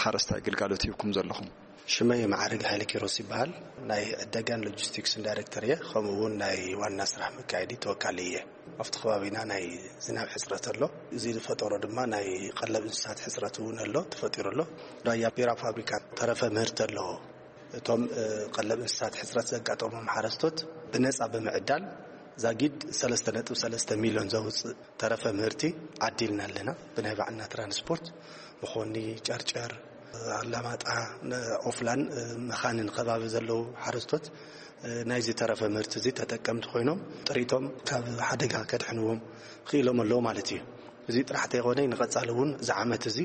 ሓረስታይ ግልጋሎት ሂብኩም ዘለኹም? ሽመይ ማዕረግ ሃይለ ኪሮስ ይበሃል። ናይ ዕደጋን ሎጂስቲክስን ዳይሬክተር እየ። ከምኡ እውን ናይ ዋና ስራሕ መካየዲ ተወካሊ እየ። ኣብቲ ከባቢና ናይ ዝናብ ሕፅረት ኣሎ። እዚ ዝፈጠሮ ድማ ናይ ቀለብ እንስሳት ሕፅረት እውን ኣሎ፣ ተፈጢሩ ኣሎ። ራያ ቢራ ፋብሪካ ተረፈ ምህርቲ ኣለዎ። እቶም፣ እ፣ ቀለብ እንስሳት ሕፅረት ዘጋጠሞም ሓረስቶት ብነፃ ብምዕዳል ዛጊድ ሰለስተ ነጥቢ ሰለስተ ሚልዮን ዘውፅእ ተረፈ ምህርቲ ዓዲልና ኣለና። ብናይ ባዕልና ትራንስፖርት መኾኒ፣ ጨርጨር፣ ኣላማጣ፣ ኦፍላን፣ እ፣ መኻንን ከባቢ ዘለዉ ሓረስቶት፣ እ፣ ናይዚ ተረፈ ምህርቲ እዚ ተጠቀምቲ ኮይኖም ጥሪቶም ካብ ሓደጋ ከድሕንዎም ክኢሎም ኣለዉ ማለት እዩ። እዚ ጥራሕ ተይኮነ ንቐጻሊ እውን እዚ ዓመት እዚ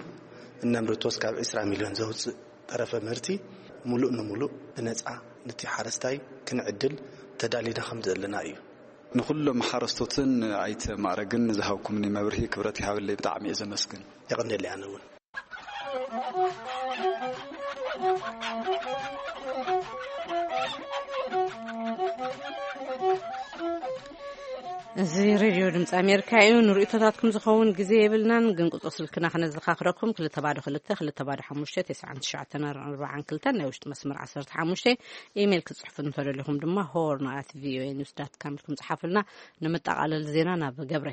እነምርቶ እስካብ ዕስራ ሚልዮን ዘውፅእ ተረፈ ምህርቲ ሙሉእ ንሙሉእ ብነፃ ነቲ ሓረስታይ ክንዕድል ተዳሊና ከም ዘለና እዩ። ንኹሎም ሓረስቶትን ኣይተ ማዕረግን ዝሃብኩምኒ መብርሂ ክብረት ይሃበለይ፣ ብጣዕሚ እየ ዘመስግን። የቐንየለይ ኣነ እውን። እዚ ሬድዮ ድምፂ ኣሜሪካ እዩ። ንርእይቶታትኩም ዝኸውን ግዜ የብልናን፣ ግን ቁፅሪ ስልክና ክነዘኻኽረኩም፣ ክልተ ባዶ ክልተ፣ ክልተ ባዶ ሓሙሽተ፣ ተስዓን ትሽዓተን ኣርባዓን ክልተን፣ ናይ ውሽጢ መስመር ዓሰርተ ሓሙሽተ። ኢሜይል ክትጽሕፉ እንተደሊኹም ድማ ሆርን ኣት ቪኦኤ ኒውስ ዳት ካም ኢልኩም ጽሓፉልና። ንምጠቓለል ዜና ናብ ገብረ።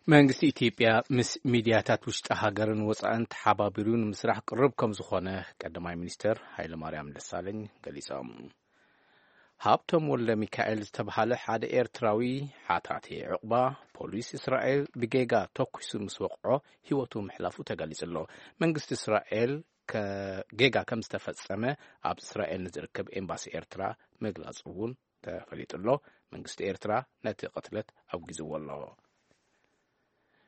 መንግስቲ ኢትዮጵያ ምስ ሚድያታት ውሽጢ ሃገርን ወፃእን ተሓባቢሩ ንምስራሕ ቅርብ ከም ዝኾነ ቀዳማይ ሚኒስትር ሃይለማርያም ደሳለኝ ገሊጾም። ሃብቶም ወልደ ሚካኤል ዝተብሃለ ሓደ ኤርትራዊ ሓታቲ ዑቕባ ፖሊስ እስራኤል ብጌጋ ተኲሱ ምስ ወቕዖ ህይወቱ ምሕላፉ ተገሊጹ ኣሎ። መንግስቲ እስራኤል ከ-፣ ጌጋ ከም ዝተፈጸመ ኣብ እስራኤል ንዝርከብ ኤምባሲ ኤርትራ ምግላጹ እውን ተፈሊጡ ኣሎ። መንግስቲ ኤርትራ ነቲ ቅትለት ኣውጊዝዎ ኣሎ።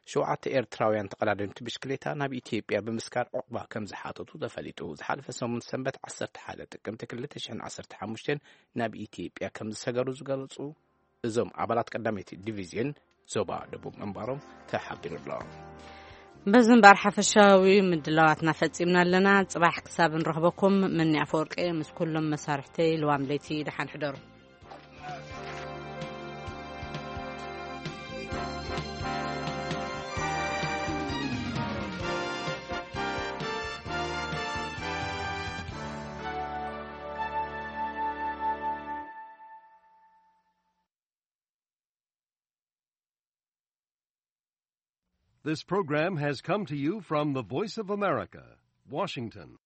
ሸውዓተ ኤርትራውያን ተቐዳደምቲ ብሽክሌታ ናብ ኢትዮጵያ ብምስጋር ዑቕባ ከም ዝሓተቱ ተፈሊጡ። ዝሓለፈ ሰሙን ሰንበት ዓሰርተ ሓደ ጥቅምቲ ክልተ ሽሕን ዓሰርተ ሓሙሽተን ናብ ኢትዮጵያ ከም ዝሰገሩ ዝገለጹ እዞም ኣባላት ቀዳመይቲ ዲቪዝዮን ዞባ ደቡብ ምንባሮም ተሓቢሩ ኣሎ። በዚ እምበኣር ሓፈሻዊ ምድላዋትና ፈጺምና ኣለና። ጽባሕ ክሳብ ንረኽበኩም፣ መኒ ኣፈወርቂ ምስ ኩሎም መሳርሕተይ ልዋም ለይቲ ደሓን ሕደሩ። This program has come to you from the Voice of America, Washington.